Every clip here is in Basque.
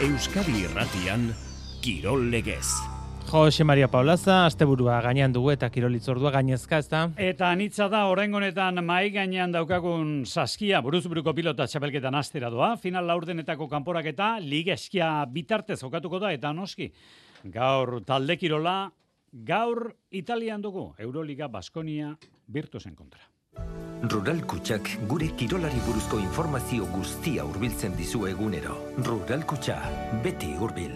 Euskadi Irratian, Kirol Legez. Jose Maria Paulaza, asteburua gainean dugu eta kirolitzordua gainezka, ezta? Eta anitza da, oraingo honetan mahai gainean daukagun Saskia, buruzburuko pilota txapelketan astera doa. Final laurdenetako kanporaketa, liga eskia bitartez jokatuko da, eta noski. Gaur talde kirola, gaur Italian dugu, Euroliga Baskonia Virtusen kontra. Rural Kutxak gure kirolari buruzko informazio guztia hurbiltzen dizu egunero. Rural Kutxa, beti hurbil.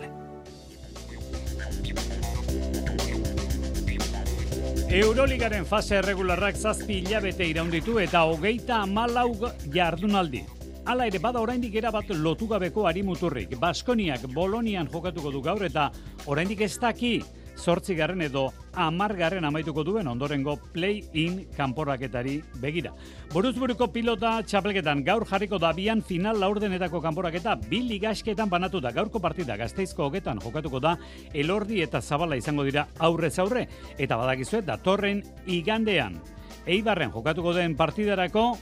Euroligaren fase erregularrak 7 hilabete iraunditu eta 34 jardunaldi. Hala ere bada oraindik erabat lotugabeko arimuturrik. Baskoniak Bolonian jokatuko du gaur eta oraindik ez daki 8. edo 10. amaituko duen ondorengo play-in kanporaketari begira. Buruzburuko pilota txapelketan gaur jarriko da bian final laurdenetako kanporaketa 2 ligasketan banatu da. Gaurko partida Gasteizko hogetan jokatuko da, Elordi eta Zabala izango dira aurrez aurre. Eta badakizue datorren igandean Eibarren jokatuko den partidarako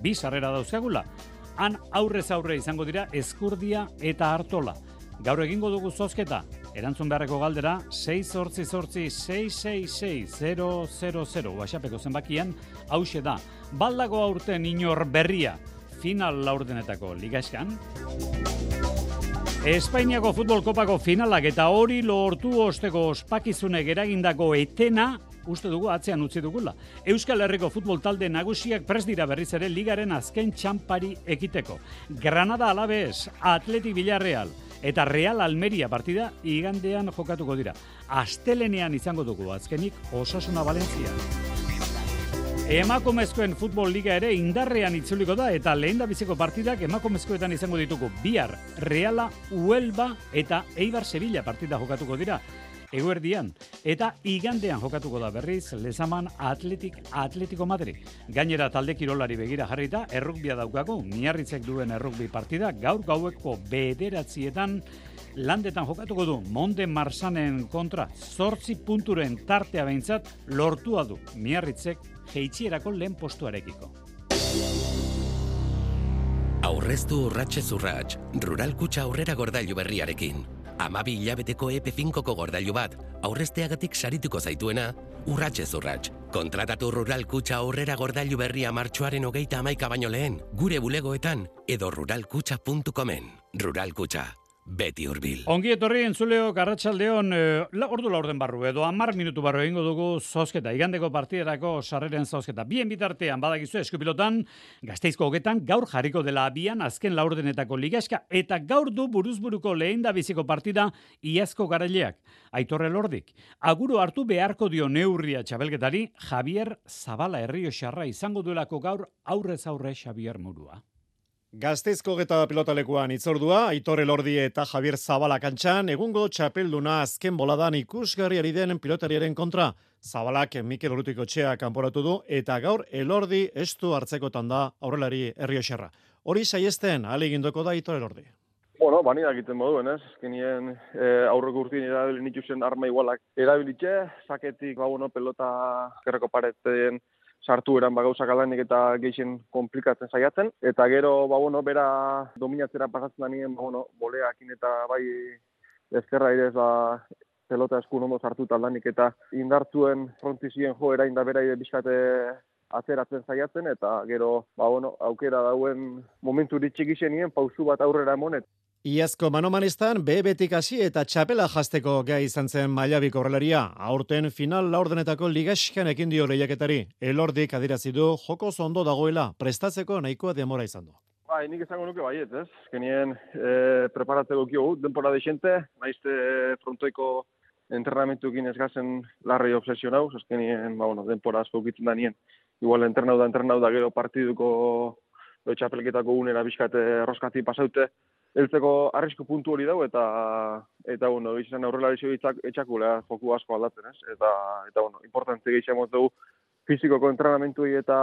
2 sarrera dauzkagula. Han aurrez aurre izango dira Ezkurdia eta Artola. Gaur egingo dugu zozketa. Erantzun beharreko galdera 688-666-000 WhatsAppeko zenbakian hauxe da. Baldago aurten inor berria final laurdenetako ligaskan. Espainiako futbol kopako finalak eta hori lortu osteko ospakizunek eragindako etena uste dugu atzean utzi dugula. Euskal Herriko futbol talde nagusiak prest dira berriz ere ligaren azken txampari ekiteko. Granada Alaves, Athletic Villarreal eta Real Almeria partida igandean jokatuko dira. Astelenean izango dugu azkenik Osasuna Valentzia. Emakumezkoen futbol liga ere indarrean itzuliko da eta lehendabiziko partidak emakumezkoetan izango ditugu. Bihar Reala Huelva eta Eibar Sevilla partida jokatuko dira. Eguerdian, eta igandean jokatuko da berriz Lezaman Atletico Madrid. Gainera talde kirolari begira jarrita, errugbia daukagu, Miarritzek duen errugbi partida, gaur gaueko 9:00 landetan jokatuko du, Monde Marsanen kontra 8 punturen tartea behintzat lortua du, Miarritzek jeitsierako lehen postuarekiko. Aurreztu urratxez urrats, Rural Kutxa aurrera gordailu berriarekin. 12 hilabeteko EP5ko gordailu bat, aurrezteagatik sarituko zaituena, urratxez urrats. Kontratatu Rural Kutxa aurrera gordailu berria martxoaren 31 baino lehen, gure bulegoetan edo ruralkutxa.comen. Rural Kutxa, beti hurbil. Ongi etorri entzuleo Arratsaldeon, ordu laurden barru edo 10 minutu barru egingo dugu zozketa, igandeko partiderako sarreren zozketa. Bien bitartean badakizu eskupilotan, Gasteizko hogetan gaur jarriko dela abian azken laurdenetako ligaska eta gaur du buruzburuko lehendabiziko partida iazko garaileak. Aitor Elordik, aguru hartu beharko dio neurria txapelketari Javier Zabala Errioxarra izango duelako gaur aurrez aurre Xabier Murua. Gasteizko geta pilotalekuan itzordua, Aitor Elordi eta Javier Zabala kantxan, egungo txapelduna azken boladan ikusgarriari den pilotariaren kontra. Zabalak Mikel Urrutikoetxea kanporatu du, eta gaur Elordi estu hartzekotan da aurrelari Errioxarra. Hori saiesten, alegindoko da Aitor Elordi. Bueno, bani egiten moduen, ez? Azkenien aurreko urtien erabilin ituzen arma igualak erabilitxe, saketik, pelota gerreko pareten sartu eran gauzak alanik eta geixen komplikatzen saiatzen. Eta gero, bera dominatzera pasatzen da nien, boleakin eta bai ezkerra ere pelota eskun ondo sartu taldanik eta indartzuen frontizien joera inda bera bizkate atzeratzen saiatzen eta gero, aukera dauen momentu ditxik izenien, pausu bat aurrera emonet. Iazko manomanistan bebetik hasi eta txapela jazteko gai izan zen mailabiko horrelaria. Aurten final laurdenetako ligaskan ekin dio lehiaketari. Elordik adirazi du joko ondo dagoela, prestatzeko nahikoa demora izan du. Nik esango nuke baiet, ez? Azkenien preparatzeko kio denpora deixente, naizte frontoiko entrenamentuekin ez gazen larrei obsesionau, azkenien, denpora asko ukitzen da nien. Igual entrenau da gero partiduko txapelketako unera bizkate roskati pasaute, heltzeko arrisku puntu hori dau eta izan aurrela etxakula joku asko aldatzen, ez? Eta importante gehiagoz dugu fizikoko entrenamentuei eta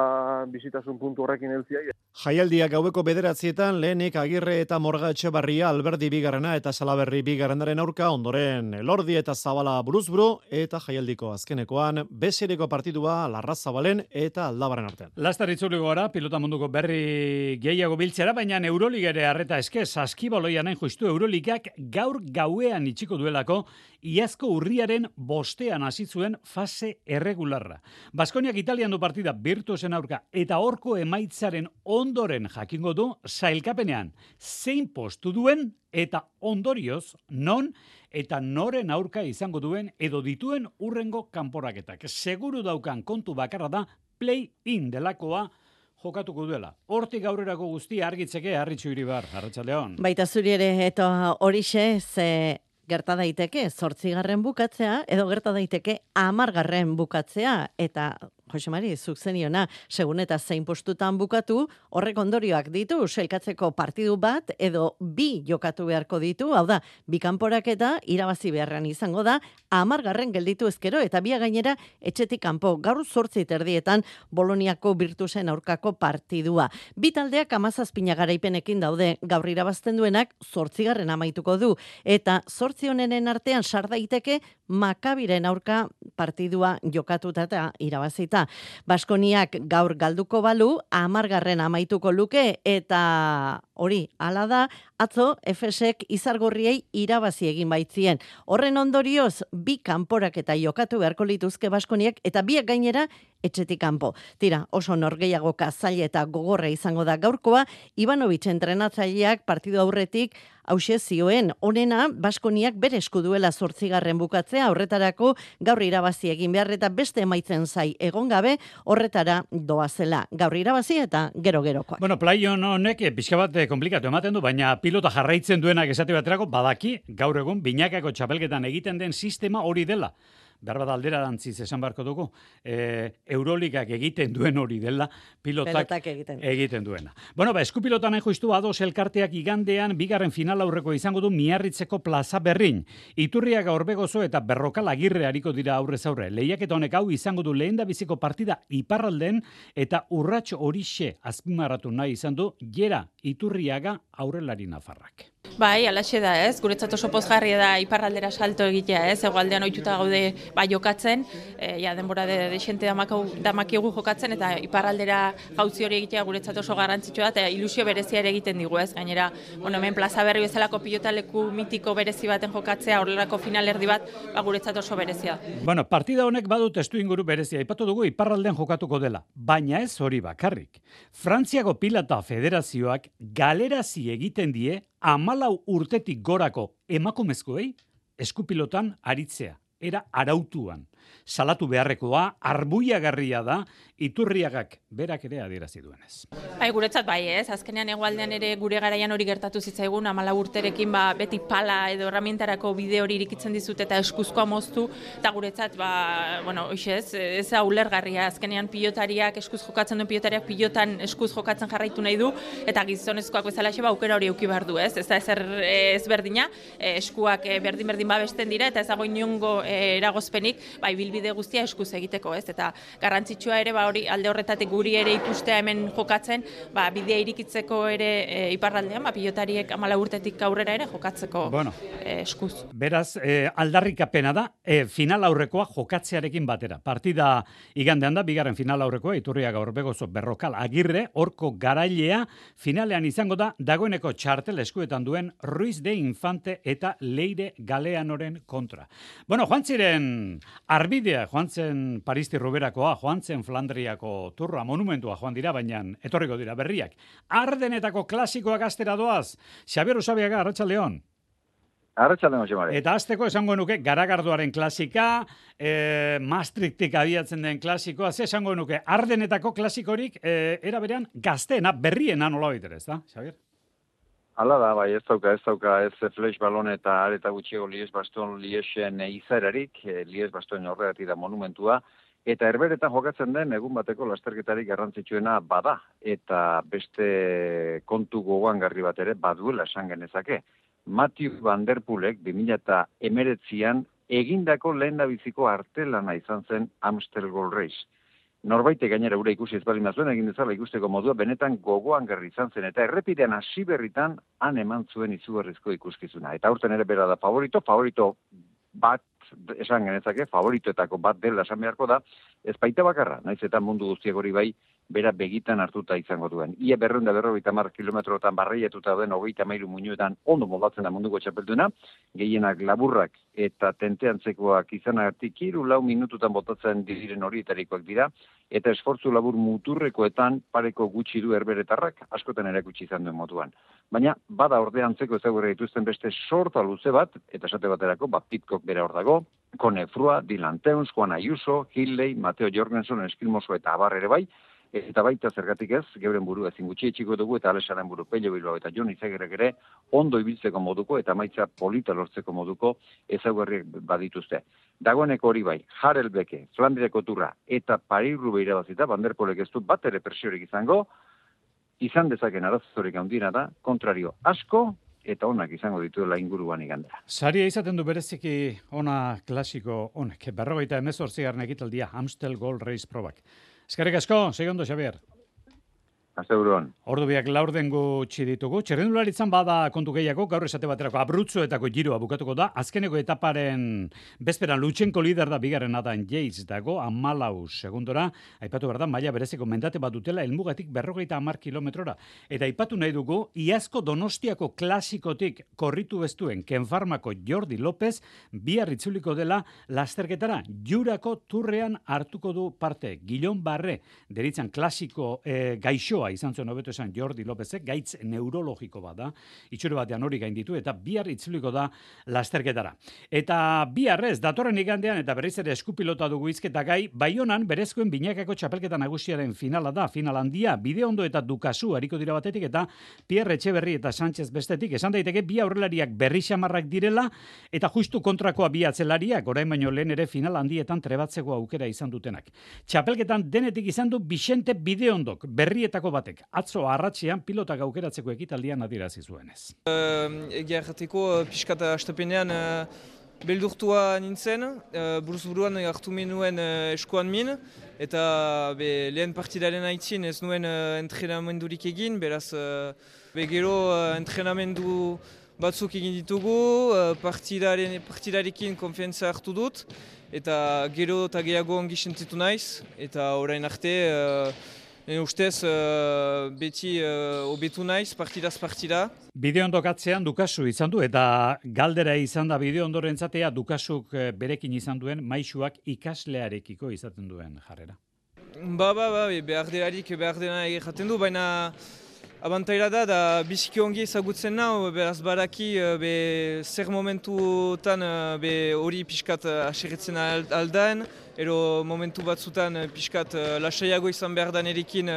bizitasun puntu horrekin heltziai. Jaialdiak gaueko 9:00 lehenik Agirre eta Morga Etxebarria Alberdi bigarrena eta Salaberri bigarrenaren aurka, ondoren Elordi eta Zabala buruzburu, eta jaialdiko azkenekoan besereko partidua Larrazabalen eta Aldabaren artean. Laster itzuliko gara, pilota munduko berri gehiago biltzera, baina Euroliga ere arreta eske, saskibaloian hain justu Euroligak gaur gauean itxiko duelako, iazko urriaren 5 hasi zuen fase erregularra. Baskoniak Italian du partida Virtusen aurka eta horko emaitzaren ondoren jakingo du sailkapenean zein postu duen eta ondorioz non eta noren aurka izango duen edo dituen urrengo kanporaketak. Seguru daukan kontu bakarra da play-in delakoa jokatuko duela. Hortik aurrerako guztia argitzeke Arritxu Iribar, Arratsaldeon. Baita zuri ere eta horixe ze gerta daiteke 8. bukatzea edo gerta daiteke 10. bukatzea eta Jose Mari, zuk zeniona, segun eta zein postutan bukatu, horrek ondorioak ditu, sailkatzeko partidu bat edo 2 jokatu beharko ditu, hau da, 2 kanporaketa irabazi beharran izango da, 10. gelditu ezkero eta 2 gainera etxetik kanpo. Gaur 8:30 Boloniako Virtusen aurkako partidua. 2 taldeak 17 garaipenekin daude, gaur irabazten duenak 8. amaituko du eta 8 honenen artean sar daiteke Makabiren aurka partidua jokatuta eta irabazita. Baskoniak gaur galduko balu, 10. amaituko luke eta hori, hala da, atzo Efesek Izargorriei irabazi egin baitzien. Horren ondorioz, 2 kanporaketa jokatu beharko lituzke Baskoniak eta 2 gainera etxetik kanpo. Tira, oso norgehiagoka zaila eta gogorra izango da gaurkoa, Ivanovic entrenatzaileak partidu aurretik hauxe zioen, honena Baskoniak bere esku duela 8. bukatzea, horretarako gaur irabazi egin behar eta beste emaitzen zai egon gabe, horretara doazela. Gaur irabazi eta gero-gerokoak. Bueno, play-on honek pixka bat komplikatu ematen du, baina pilota jarraitzen duenak esate baterako badaki, gaur egun binakako txapelketan egiten den sistema hori dela. Behar bat alderantziz esan beharko dugu, Euroligak egiten duen hori dela, pilotak egiten duena. Bueno, eskupilotan nahi justu Ados elkarteak igandean 2. final aurreko izango du Miarritzeko plaza berrin. Iturriaga Orbegozo eta Berrokal Agirre hariko dira aurrez aurre. Lehiaketa honek hau izango du lehendabiziko partida iparralden eta urrats horixe azpimarratu nahi izan du Jera Iturriaga aurrelari nafarrak. Bai, alaxe da, ez? Guretzat oso pozgarria da iparraldera salto egitea, ez? Hegoaldean ohituta gaude jokatzen, denbora desente damakigu jokatzen eta iparraldera jauzi hori egitea guretzat oso garrantzitsua da eta ilusio berezia ere egiten digu, ez? Gainera, hemen plaza berri bezalako pilotaleku mitiko berezi baten jokatzea, horrelako finalerdi bat, guretzat oso berezia. Bueno, partida honek badu testuinguru berezia. Aipatu dugu iparraldean jokatuko dela, baina ez hori bakarrik. Frantziako Pilota Federazioak galerazi egiten die 14 urtetik gorako emakumezkoei eskupilotan aritzea, era arautuan. Salatu beharrekoa, arbuiagarria da, Iturriagak berak ere adierazi duenez. Bai, guretzat bai, ez? Azkenean hegoaldean ere gure garaian hori gertatu zitzaigun, 14 urterekin beti pala edo herramientarako bide hori irikitzen dizut eta eskuzkoa moztu, eta guretzat, ez da ulergarria, azkenean pilotariak, eskuz jokatzen duen pilotariak pilotan eskuz jokatzen jarraitu nahi du, eta gizonezkoak bezala aukera hori eduki behar du, ez? Ez da ez berdina, eskuak berdin babesten dira, eta ez dago inongo eragozpenik, bilbide guztia eskuz egiteko, ez? Eta garrantzitsua ere, hori alde horretatik guri ere ikustea hemen jokatzen, bidea irikitzeko ere iparraldean, pilotariek 14 urtetik aurrera ere jokatzeko eskuz. Beraz, aldarrikapena da, final aurrekoa jokatzearekin batera. Partida igandean da, 2. final aurrekoa, Iturriaga Orbegozo Berrokal Agirre, horko garailea, finalean izango da, dagoeneko txartel eskuetan duen Ruiz de Infante eta Leire Galeanoren kontra. Bueno, joan ziren arbidea, joan zen Paristi Ruberakoa, joan zen Flandriako turra, monumentua joan dira, baina etorriko dira berriak. Ardenetako klasikoak astera doaz. Xabier Usabiaga, Arratsaldeon. Arratsaldeon, Jose Mari. Eta azteko esango nuke Garagardoaren klasika, Maastrichtik abiatzen den klasikoa, ze esango nuke Ardenetako klasikorik era berean gazteena, berriena nola baitere, ez da, Xabier? Hala da, bai, ez dauka, flash balon eta areta gutxiago Lies-Baston-Liesen izaerarik, Lies-Baston horregatik da monumentua, eta herberetan jokatzen den egun bateko lasterketarik garrantzitsuena bada, eta beste kontu gogoangarri bat ere baduela esan genezake. Matthew Van Der Poelek 2019an egindako lehendabiziko artelana izan zen Amstel Gold Race. Norbaite gainera ura ikusi ez baldin bazuen egin dezala ikusteko modua benetan gogoan garri izan zen eta errepidean hasi berritan han eman zuen izugarrizko ikuskizuna. Eta aurten ere bera da favorito bat esan genezake, favoritoetako bat dela esan beharko da, ez baita bakarra, naiz eta mundu guztiak hori bai, bera begitan hartuta izango duen. Ia 250 kilometrotan barreiatuta den 33 muinuetan ondo moldatzen da munduko txapelduna, gehienak laburrak eta tenteantzekoak izanagatik 3-4 minututan botatzen diren horietarikoak dira, eta esfortzu labur muturrekoetan pareko gutxi du herberetarrak askotan erakutsi izan duen moduan. Baina, bada ordeantzeko ezagurra dituzten beste sorta luze bat, eta esate baterako, Pitcock bera hor dago, Kone Frua, Dylan Teuns, Juan Ayuso, Hilley, Mateo Jorgensen, Eskilmoso eta abar ere bai, eta baita zergatik ez, geuren buru ezin gutxi etxiko dugu, eta Alesaren buru Pello Bilbao eta Jon Izagerrek ere ondo ibiltzeko moduko eta maitza polita lortzeko moduko ezaugarriak badituzte. Dagoeneko hori bai, Harelbeke, Flandriako Turra eta Paris-Roubaix irabazita, Van der Poelek ez du bat ere presiorik izango, izan dezaken arazorik handiena da, kontrario asko, eta onak izango dituela inguruan igandera. Saria izaten du bereziki ona klasiko honek, 58. ekitaldia Amstel Gold Race probak. Eskerrik asko, segondo, Xabier. Asteburuan. Ordu biak laurden gutxi ditugu. Txirrindularitzan bada kontu gehiago, gaur esate baterako Abruzzuetako giroa bukatuko da. Azkeneko etaparen bezperan Lutsenko lider da bigarren Adam Yates dago, 14 segundora. Aipatu behar da, maila bereziko mendate bat dutela, helmugatik 50 kilometrora. Eta aipatu nahi dugu, iazko Donostiako klasikotik korritu bestuen Ken Farmako Jordi López bihar itzuliko dela lasterketara. Jurako turrean hartuko du parte. Guillon Barre, deritzan klasiko gaixoa izan zuen hobeto esan Jordi Lópezek, gaitz neurologiko bat da, itxure batean hori gainditu, eta bihar itzuliko da lasterketara. Eta biharrez, datorren igandean, eta berriz ere eskupilota dugu izketa gai, Baionan berezkoen binakako txapelketa nagusiaren finala da, final handia, Bideondo eta Dukasu hariko dira batetik, eta Pierre Etxeberri eta Sánchez bestetik, esan daiteke bi aurrelariak berri xamarrak direla, eta justu kontrakoa bi atzelariak, orain baino lehen ere final handietan trebatzeko aukera izan dutenak. Txapelketan denetik izan du Vicente Bideondok, berrietako batek. Atzo arratsean pilotak aukeratzeko ekitaldian adierazi zuenez. Egia errateko pixkata astepenean beldurtua nintzen, buruz-buruan hartu minuen eskuan min, eta lehen partidaren aitzin ez nuen entrenamendurik egin, beraz gero entrenamendu batzuk egin ditugu, partidarekin konfiantza hartu dut, eta gero eta gehiago ongi sentitu naiz, eta orain arte ustez beti hobetu naiz, partidaz partida. Bideondok atzean Dukasu izan du, eta galdera izan da Bideondorentzat Dukasuk berekin izan duen maisuak ikaslearekiko izaten duen jarrera. Behar dena egiten du, baina abantaila da biziki ongi ezagutzen nau, beraz baraki zer momentutan hori pixkat aserretzen aldaen, ero momentu batzutan pixkat lasaiago izan behar da nerekin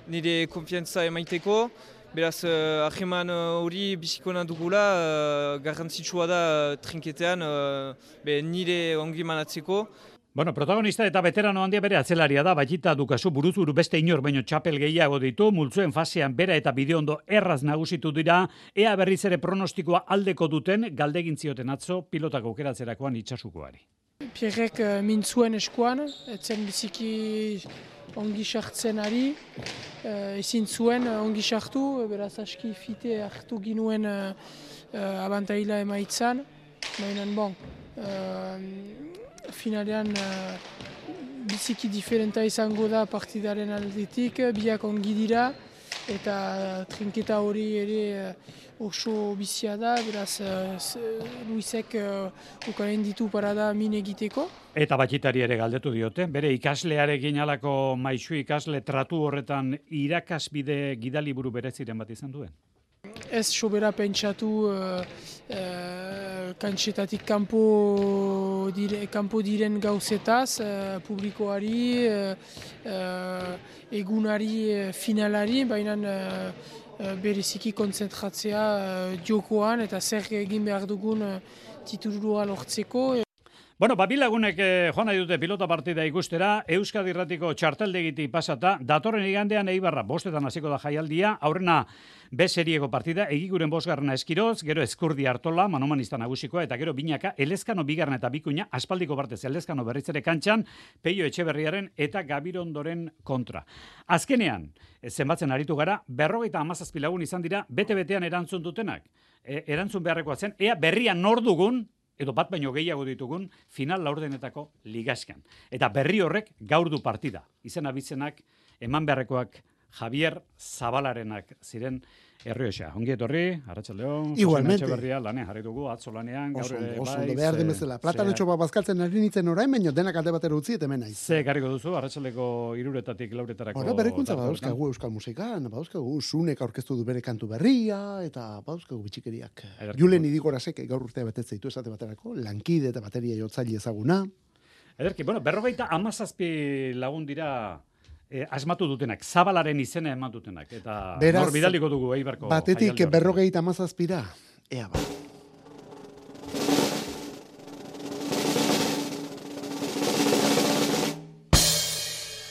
nire konfiantza emaiteko. Beraz, aheman hori bizikona dugula, garrantzitsua da trinketean nire ongi manatzeko. Bueno, protagonista eta veterano handia bere atzelaria da, Baitita Dukasu buruzburu beste inor baino txapel gehiago ditu, multzuen fasean bera eta Bideondo erraz nagusitu dira, ea berriz ere pronostikoa aldeko duten, galdegin zioten atzo pilotak aukeratzerakoan Itsasukoari. Pierrek mintzuen eskuan, etzen biziki ongi sartzen ari, ezin zuen ongi sartu, beraz aski fite hartu ginuen abantaila emaitzan, baina finalean biziki diferenta izango da partidaren aldetik, biak ongi dira, eta trinketa hori ere oso bizia da, beraz Luisek ukaren ditu parada min egiteko. Eta Baititari ere galdetu diote, bere ikaslearekin alako maisu ikasle tratu horretan irakasbide gidaliburu bereziren bat izan duen? Ez sobera pentsatu kantxetatik kanpo diren gauzetaz, publikoari, egunari, finalari, baina bereziki kontzentratzea jokoan eta zer egin behar dugun titulua lortzeko. Bueno, bilagunek joan nahi dute pilota partida ikustera, Euskadi Irratiko txarteldegitik pasata, datorren igandean Eibarra 5:00 hasiko da jaialdia, aurrena B serieko partida, Egiguren 5. Eskiroz, gero Eskurdi Artola, manomanista nagusikoa, eta gero Binaka, Elezkano 2. eta Bikuña, aspaldiko partez Elezkano berrizere kantxan, Peio Etxeberriaren eta Gabirondoren kontra. Azkenean, zenbatzen aritu gara, 57 lagun izan dira, bete-betean erantzun dutenak. Erantzun beharrekoa zen, ea berrian nor dugun, edo bat baino gehiago ditugun, final laurdenetako ligaskan. Eta berri horrek gaur du partida. Izena bizenak, eman beharrekoak Javier Zabalarenak ziren Errioxa. Ongi etorri, Arratsaldeon. Igualmente. Etxeberria lanean jarri dugu, atzo lanean, gaur ere bai. Oso, behar den bezala. Platanotxo bat bazkaltzen ari nintzen orain, baino denak alde batera utzi eta hemen naiz. Ze karriko duzu, Arratsaldeko 3:00 lauretarako. Ora, berrikuntza badauzkagu euskal musikan, badauzkagu Sunek aurkeztu du bere kantu berria, eta badauzkagu bitxikeriak. Julen Idigorasek gaur urtea betetze ditu esate baterako, lankide eta bateria jotzaile ezaguna. Ederki, bueno, 57 lagun dira asmatu dutenak, Zabalaren izena eman dutenak, eta nor bidaliko dugu Eibarko. Batetik 57, ea ba.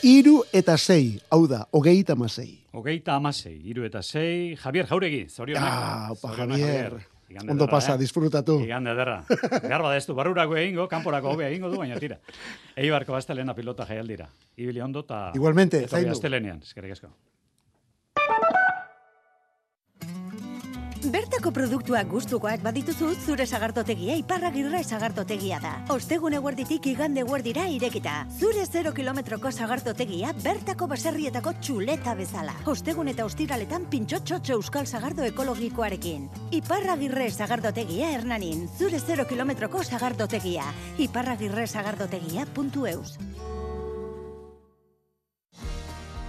Hiru eta 6, hau da, 36. 36, 3 eta 6, Javier Jauregi, zorionak. Opa, Javier. Ondo pasa, disfrutatu. Igande ederra. Behar bada ez du, barrurako egingo, kanporako hobea egingo du, baina tira. Eibarko astelena pilota jaialdira. Ibili ondo eta... Igualmente, zaindu. Astelenean, eskerrik asko. Bertako produktuak gustukoak badituzu, zure sagardotegia Iparragirre sagardotegia da. Ostegun eguerditik igande eguerdira irekita. Zure 0 kilometroko sagardotegia bertako baserrietako txuleta bezala. Ostegun eta ostiraletan pintxotxotxo euskal sagardo ekologikoarekin. Iparragirre sagardotegia Hernanin. Zure 0 kilometroko sagardotegia. iparragirresagardotegia.eus.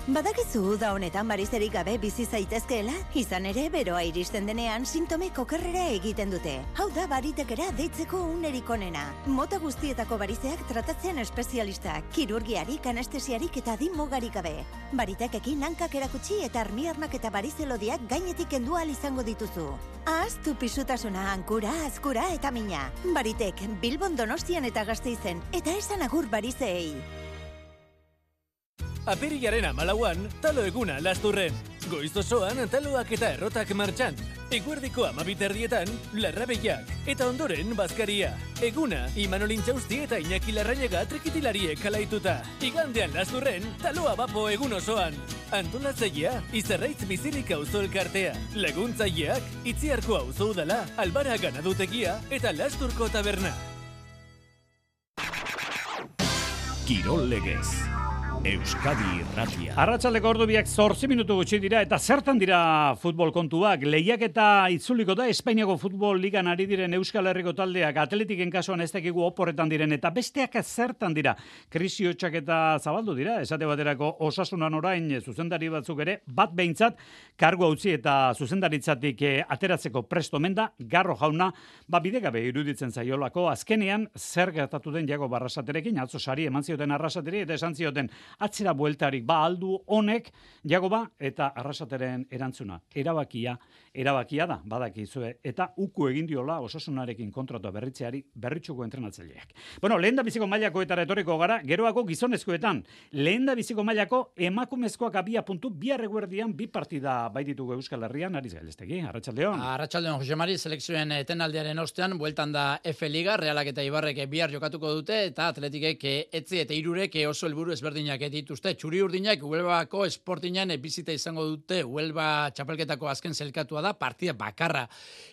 Badakizu da honetan barizerik gabe bizi zaitezkeela? Izan ere, beroa iristen denean sintomek okerrera egiten dute. Hau da baritekera deitzeko unerik onena. Mota guztietako barizeak tratatzen espezialistak, kirurgiarik, anestesiarik eta adin mugarik gabe. Baritekekin hankak erakutsi eta armiarnak eta barizelodiak gainetik kendu ahal izango dituzu. Ahaztu pisutasuna, hankura, azkura eta mina. Baritek, Bilbon, Donostian eta Gasteizen, eta esan agur barizeei. Apirilaren 14an, talo eguna Lasturren. Goiz osoan taloak eta errotak martxan. Eguerdiko 12 larrabeiak, eta ondoren bazkaria. Eguna, Imanol Intxausti eta Iñaki Larrañaga trikitilariek alaituta. Igandean Lasturren, taloa bapo egun osoan. Antolatzailea, Izarraitz Bizirik auzo elkartea. Laguntzaileak, Itziarko auzo udala, Albara ganadutegia eta Lasturko taberna. Kirol legez. Euskadi Irratia. Arratsaldeko ordu biak 8 minutu gutxi dira, eta zertan dira futbol kontuak. Lehiak eta itzuliko da Espainiako futbol ligan ari diren Euskal Herriko taldeak, Atletiken kasuan ez dakigu oporretan diren, eta besteak zertan dira. Krisi hotxak eta zabaldu dira, esate baterako Osasunan orain zuzendari batzuk ere, bat behintzat, kargu utzi eta zuzendaritzatik ateratzeko presto menda, Garro jauna, bidegabe iruditzen zaiolako, azkenean zer gertatu den Jago Barrasaterekin, atzo sari eman zioten Arrasateri, eta esan zioten, atzera bueltarik aldu honek Jagoba eta Arrasateren erantzuna. Erabakia da, badakizue, eta uku egin diola Osasunarekin kontratua berritzeari berritxuko entrenatzaileak. Bueno, lehendabiziko mailakoetara etorriko gara, geroako gizonezkoetan. Lehendabiziko mailako emakumezkoak abia puntu, bihar eguerdian 2 partida baititugu Euskal Herrian, Ariz Gailestegi, Arratsaldeon. Arratsaldeon, Jose Mari, selekzioen etenaldiaren ostean, bueltan da F Liga, Realak eta Ibarrek bihar jokatuko dute, eta Atletikek etzi eta Hirurek oso helburu ezberdinak dituzte. Txuri Urdinak Huelvako Sportinan bizita izango dute. Huelva txapelketako azken zelkatua da, partida bakarra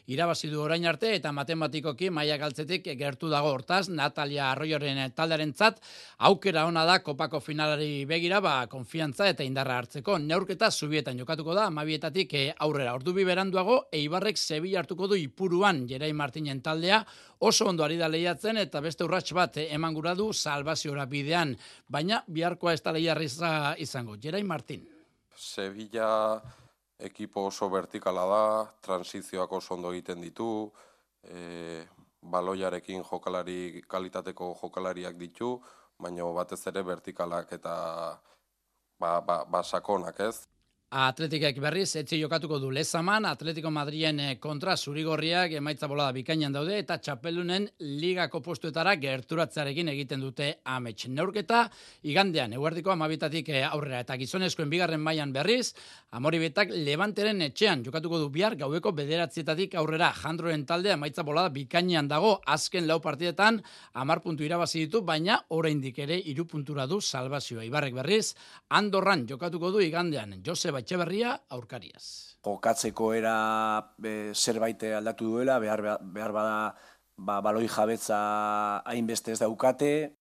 irabazi du orain arte, eta matematikoki maila galtzetik gertu dago. Hortaz, Natalia Arroyoren taldearentzat aukera ona da kopako finalari begira, konfiantza eta indarra hartzeko. Neurketa Zubietan jokatuko da, 12etatik aurrera. Ordu bi beranduago, Eibarrek Sevilla hartuko du Ipuruan, Jerai Martinen taldea, oso ondo ari da lehiatzen, eta beste urrats bat eman gura du salvaziora bidean, baina biharkoa ez da lehiarriza izango. Jerai Martin. Sevilla ekipo oso vertikala da, transizioak oso ondo egiten ditu, baloiarekin kalitateko jokalariak ditu, baina batez ere vertikalak eta sakonak, ez? Atletikek berriz, etzi jokatuko du Lezaman, Atletico Madrien kontra zurigorriak emaitza bolada bikainan daude, eta txapelunen ligako postuetara gerturatzearekin egiten dute amets. Neurketa, igandean, eguerdiko 12 aurrera, eta gizonezkoen bigarren mailan berriz, Amoribetak Levanteren etxean jokatuko du bihar gaueko 9 aurrera. Jandroren talde emaitza bolada bikainan dago, azken 4 partidetan 10 puntu irabazi ditu, baina oraindik ere 3 puntura du salbazioa. Ibarrek berriz, Andorran jokatuko du igandean, Joseba Etxeberria aurkariaz. Jokatzeko era zerbait aldatu duela, behar bada baloi jabetza hainbeste ez daukate.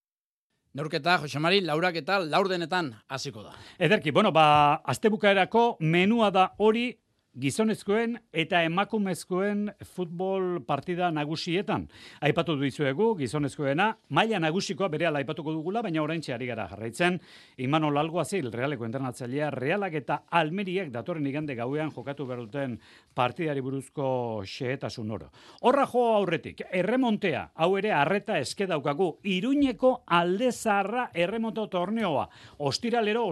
Neurketa, Jose Mari, laurak eta laurdenetan hasiko da. Ederki, astebukaerako menua da hori gizonezkoen eta emakumezkoen futbol partida nagusietan. Aipatu dizuegu gizonezkoena, maila nagusikoa berehala aipatuko dugula, baina oraintxe ari gara jarraitzen. Imanol Alguazil, Realeko entrenatzailea, Realak eta Almeriak datorren igande gauean jokatu behar duten partidari buruzko xehetasun oro. Horra jo aurretik, erremontea, hau ere arreta eske daukagu, Iruñeko Alde Zaharra erremonto torneoa. Ostiralero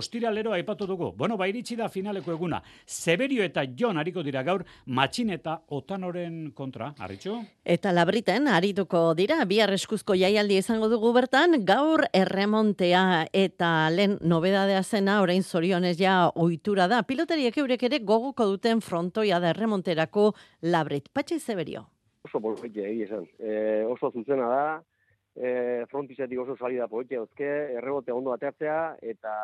aipatu dugu. Iritsi da finaleko eguna. Severio eta Jon ariko dira gaur Matxin eta Otanoren kontra, Arritxu? Eta Labriten arituko dira, bihar eskuzko jaialdi izango dugu bertan, gaur erremontea eta lehen nobedadea zena, orain zorionez ja ohitura da. Piloteriek eurek ere goguko duten frontoia da erremonterako Labrit. Patxi Severio. Oso polpetia esan. Oso zuzena da, frontizetik oso salida polpetia euzke, errebote ondo atertzea, eta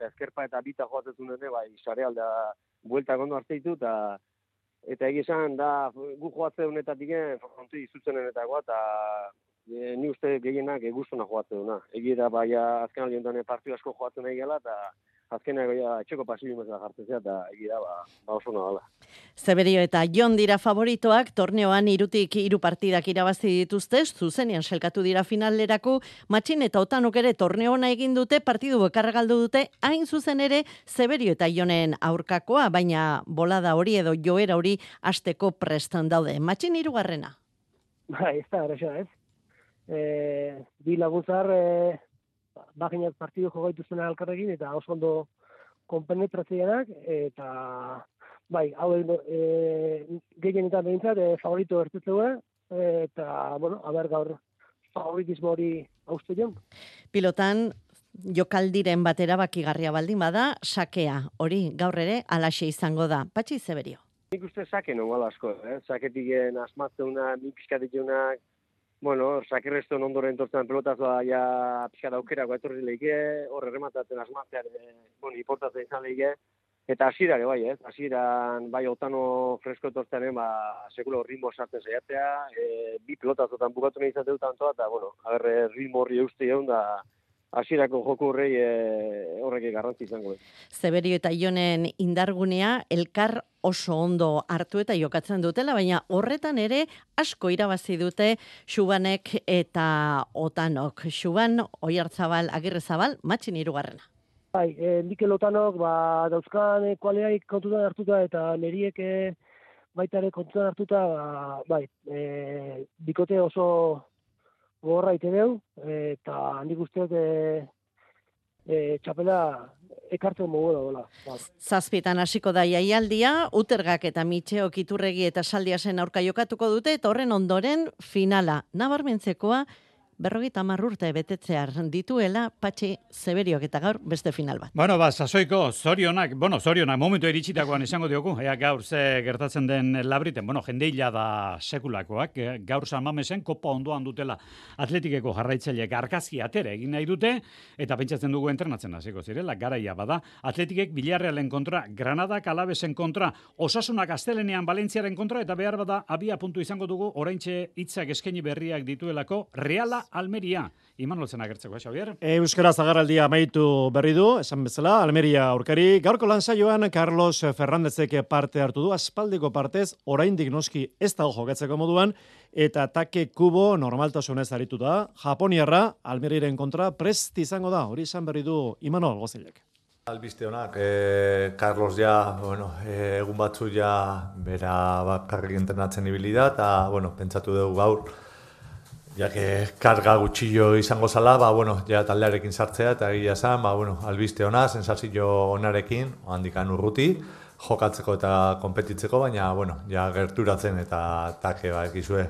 ezkerpa eta bita joatzen zunene, sarealda bueltak ondo hartzeitu, eta egizan da gu joatzen honetatik fronti zuzenenetakoa, eta ni uste gehienak guztona joatzen duna. Egira azken aldi honetan partiu asko joatzen nahi gela, eta azkenak etxeko pasillo mezela jartzea, eta egira oso nabala. Severio eta Jon dira favoritoak, torneoan 3 partidak irabazi dituzte, zuzenean selkatu dira finalerako, Matxin eta Otanok ere torneoa egin dute, partidu bekarra galdu dute, hain zuzen ere Severio eta Jonen aurkakoa, baina bolada hori edo joera hori hasteko prestan daude. Matxin 3. Ez da, eraxa, ez. Bi laguntzar, baginat partidu jogaitu zena alkarrekin, eta oso ondo konpenetratzeanak, eta hau gehienetan behintzat favorito ertutzea, eta, haber gaur favoritismo hori hauste joan. Pilotan, jokaldiren batera bakigarria baldin bada, sakea, hori gaur ere alaxe izango da. Patxi Severio. Nik uste sake nongo asko, saketik asmatzeuna, nik pixkatitunak, sakerrezton ondoren tortzen pelotazoa pixkat aukerako etorri leike, hor errematatzen asmatzean, importatzen izan leike, eta hasierak hasieran Otano fresko etortzearen, sekulo ritmo sartzen saiatzea, bi pelotazotan bukatu nahi izate dut antoa, eta ritmo horri euste egon da, hasierako joku horrei horrek garrantzi izango. Severio eta Jonen indargunea elkar oso ondo hartu eta jokatzen dutela, baina horretan ere asko irabazi dute Xubanek eta Otanok. Xuban, Oiartzabal, Agirrezabal, Matxin 3. Mikel Otanok dauzkan kualeaik kontutan hartuta eta neriek baita ere kontutan hartuta, bikote oso gorra ite deu, eta handik usteak txapela ekartzen mogu da. 7 hasiko da jaialdia, Utergak eta Mitxeok Iturregi eta Saldiasen aurka jokatuko dute, eta horren ondoren finala. Nabarmentzekoa, 50 urte betetzear dituela Patxi Severiok eta gaur beste final bat. Sasoiko zorionak momentu iritsitakoan izango diogu, gaur ze gertatzen den Labriten, jendeila da sekulakoak, gaur San Mamesen kopa ondoan dutela Atletikeko jarraitzaileek argazki atera egin nahi dute, eta pentsatzen dugu entrenatzen hasiko zirela, garaia bada, Atletikek Villarrealen kontra, Granadak Alavesen kontra, Osasunak Astelenean Valentziaren kontra, eta behar bada abia puntu izango dugu, oraintxe hitzak eskaini berriak dituelako, Reala Almeria. Imanol zen agertzeko, Xavier? Euskara zagarraldia amaitu berri du, esan bezala, Almeria aurkari. Gaurko lansaioan Carlos Fernándezek parte hartu du, aspaldiko partez, oraindik noski ez dago jokatzeko moduan, eta Take Kubo normaltasunez arituta, Japoniarra, Almeriaren kontra, prest izango da, hori izan berri du Imanol Gozilek. Albiste honak, Carlos egun batzu bera bakarrik entrenatzen ibili da, eta, pentsatu dugu gaur, karga gutxillo izango zala, ja taldearekin sartzea, eta egia esan, albiste ona, sensazio onarekin, handikan urruti, jokatzeko eta konpetitzeko, baina, ja gerturatzen eta take, ekizue,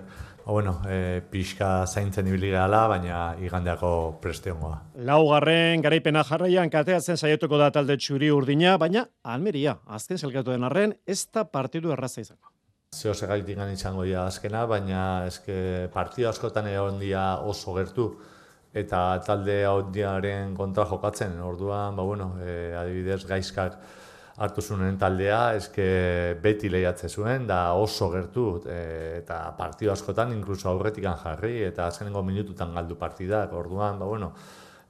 pixka zaintzen ibili gehala, baina igandeako presteongoa. Laugarren garaipena jarraian kateatzen saietuko da talde txuri urdina, baina Almeria, azken zelkatu den arren, ez da partidu erraza izango. Zeo segaitik izango dira azkena, baina partidu askotan egon dira oso gertu, eta talde ondiaren kontra jokatzen, orduan, adibidez gaizkak hartu zuen taldea, beti lehiatze zuen, da oso gertu, eta partidu askotan inkluso aurretikan jarri, eta azkenengo minututan galdu partidak, orduan,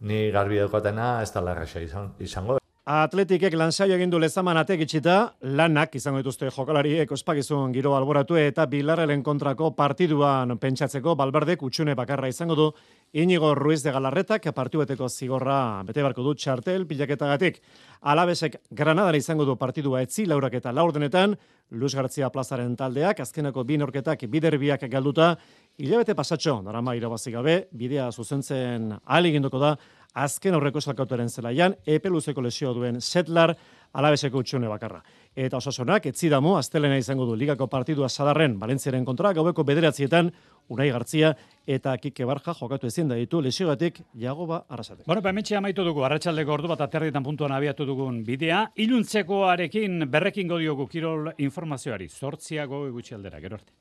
ni garbi daukatena ez da larraxa izango. Atletikek lansaio egin du Lezaman ateak itxita, lanak izango dituzte jokalariek ospakizun giro alboratu eta Bilarrelen kontrako partiduan pentsatzeko Balberdek utxune bakarra izango du Inigo Ruiz de Galarretak partibeteko zigorra bete barko du txartel pilaketagatik. Alabesek Granadara izango du partidua etzi laurak eta laurdenetan, Luis Gartzia plazaren taldeak, azkenako bi norketak biderbiak galduta, hilabete pasatxo, darama irabazi gabe, bidea zuzentzen ahaleginduko da, azken aurreko salkautoren zelaian, epe luzeko lesio duen Setlar, Alabeseko utxune bakarra. Eta Osasunak, etzidamu, astelena izango du ligako partidua Sadarren, Valentziaren kontra, gaueko 9:00 Unai Gartzia eta Kike Barja jokatu ezin da ditu lesiogatik Jagoba Arrasate. Hementxe amaitu dugu, arratsaldeko ordu bat aterritan puntuan abiatu dugun bidea, iluntzekoarekin berrekin godiogu kirol informazioari, 8 gutxi aldera, gero arte.